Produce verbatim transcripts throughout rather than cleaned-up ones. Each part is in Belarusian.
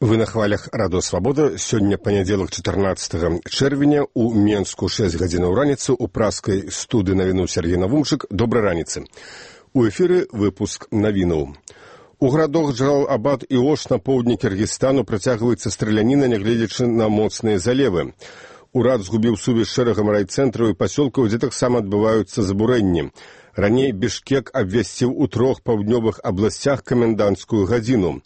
Вы на хвалях радыё «Свабода». Сёння панядзелак чатырнаццатага чэрвеня у Менску шэсць гадзінаў раніцы у праскай студыі навіну Сергей Навумчык. Добрай раніцы. У эфіры выпуск навінаў. У гарадах Джалал-Абад і Ош на поўдні Кіргізстану працягваецца страляніна, нягледзячы на моцныя залевы. Урад згубіў сувязь з шэрагам райцэнтраў і пасёлкаў, дзе таксама адбываюцца забурэнні. Раней Бішкек абвясціў у трох паўднёвых абласцях каменданцкую гадзіну.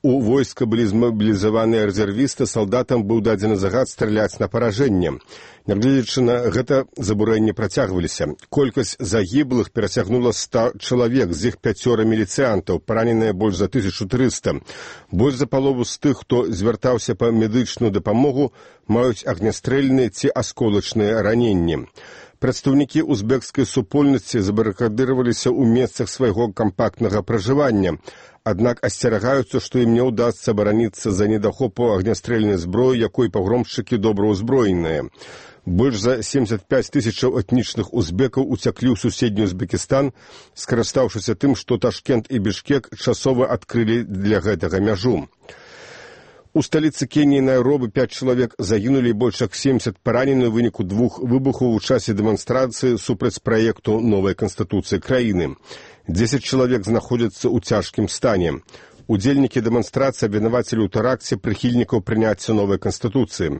У войска былі змабілізаваныя рэзервісты, салдатам быў дадзены загад страляць на паражэнне. Нягледзячы на гэта, забурэнні працягваліся. Колькасць загіблых перасягнула ста чалавек, з іх пяцёра міліцыянтаў, параненыя больш за тысячу трыста. Больш за палову з тых, хто звяртаўся па медычную дапамогу, маюць агнястрэльныя ці асколачныя раненні. Прадстаўнікі узбекскай супольнасці забарыкадыраваліся ў месцах свайго кампактнага пражывання, аднак асцерагаюцца, што ім не ўдасца абараніцца за недахопу агнястрэльнай зброі, якой пагромшчыкі добра ўзброеныя. Больш за семдзесят пяць тысячаў этнічных узбекаў уцяклі ў суседні Узбекістан, скарыстаўшыся тым, што Ташкент і Бішкек часова адкрылі для гэтага мяжу. У сталіцы Кеніі Найробі пяць чалавек загінулі і больш як семдзесят паранены ў выніку двух выбухаў у часе дэманстрацыі супраць праекту новай канстытуцыі краіны. дзесяць чалавек знаходзяцца ў цяжкім стане. Удзельнікі дэманстрацыі абвінавацілі ў тэракце прыхільнікаў прыняцця новай канстытуцыі.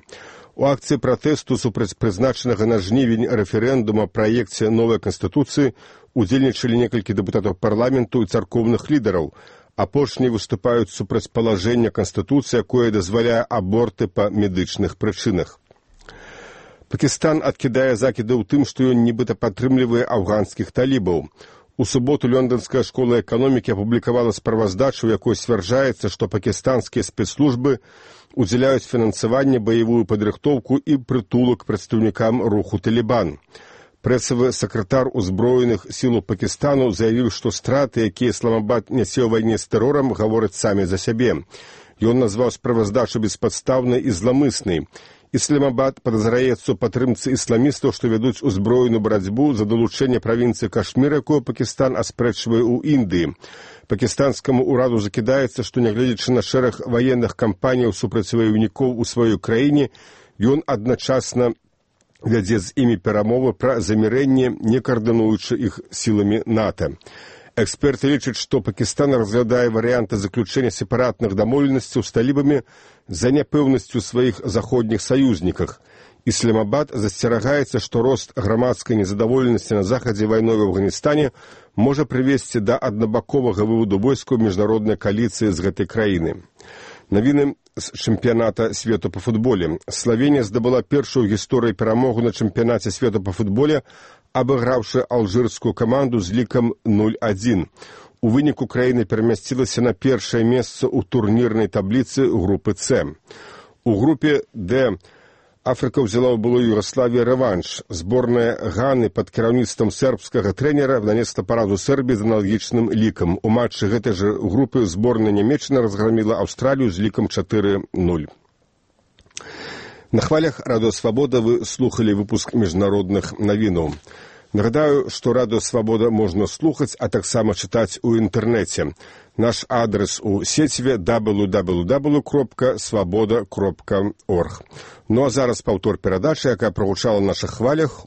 У акцыі пратэсту супраць прызначанага на жнівень рэферэндума праекце новай канстытуцыі удзельнічалі некалькі дэпутатаў парламенту і царкоўных лідараў. Апошнія выступаюць супраць палажэння Канстытуцыі, якое дазваляе аборты па медычных прычынах. Пакістан адкідае закіды ў тым, што ён нібыта падтрымлівае афганскіх талібаў. У суботу Лёнданская школа эканомікі апублікавала справаздачу, у якой сцвярджаецца, што пакістанскія спецслужбы удзяляюць фінансаванне, баявую падрыхтоўку і прытулак прадстаўнікам руху «Талібан». Прэсавы сакратар узброеных сілаў Пакістану заявіў, што страты, якія Ісламабад нясе ў вайне з тэрорам, гавораць самі за сябе. Ён назваў справаздачу беспадстаўнай і зламыснай. Ісламабад падазраецца ў падтрымцы ісламістаў, што вядуць узброеную барацьбу за далучэнне правінцыі Кашмір, якую Пакістан аспрэчвае ў Індыі. Пакістанскаму ўраду закідаецца, што нягледзячы на шэраг ваенных кампаніяў супраць ваёўнікоў у сваёй краіне, ён адначасна вядзе з імі перамовы пра замірэнне, не каардынуючы іх сіламі НАТО. Эксперты лічаць, што Пакістан разглядае варыянты заключэння сепаратных дамоўленасцяў з талібамі за няпэўнасцю сваіх заходніх саюзніках. Ісламабад засцерагаецца, што рост грамадскай незадаволенасці на захадзе вайной в Афганістане можа прывесці да аднабаковага выводу войскаў міжнароднай кааліцыі з гэтай краіны. Навіны з чэмпіяната свету па футболе. Славенія здабыла першую ў гісторыі перамогу на чэмпіянаце свету па футболе, абыграўшы алжырскую каманду з лікам нуль адзін. У выніку краіна перамясцілася на першае месца ў турнірнай табліцы групы С. У групе Д Афрыка ўзяла ў былой Югаславіі рэванш. Зборная Ганы пад кіраўніцтвам сербскага трэнера нанесла паразу Сербіі з аналагічным лікам. У матчы гэтай жа групы зборная Нямецчына разграміла Аўстралію з лікам чатыры нуль. На хвалях радыё «Свабода» вы слухалі выпуск міжнародных навінаў. Нагадаю, што радыё «Свабода» можна слухаць, а таксама чытаць у інтэрнэце. Наш адрес у сеціве дабл ю дабл ю дабл ю кропка свабода кропка орг. Ну а зараз паўтор перадачы, якая прагучала на нашых хвалях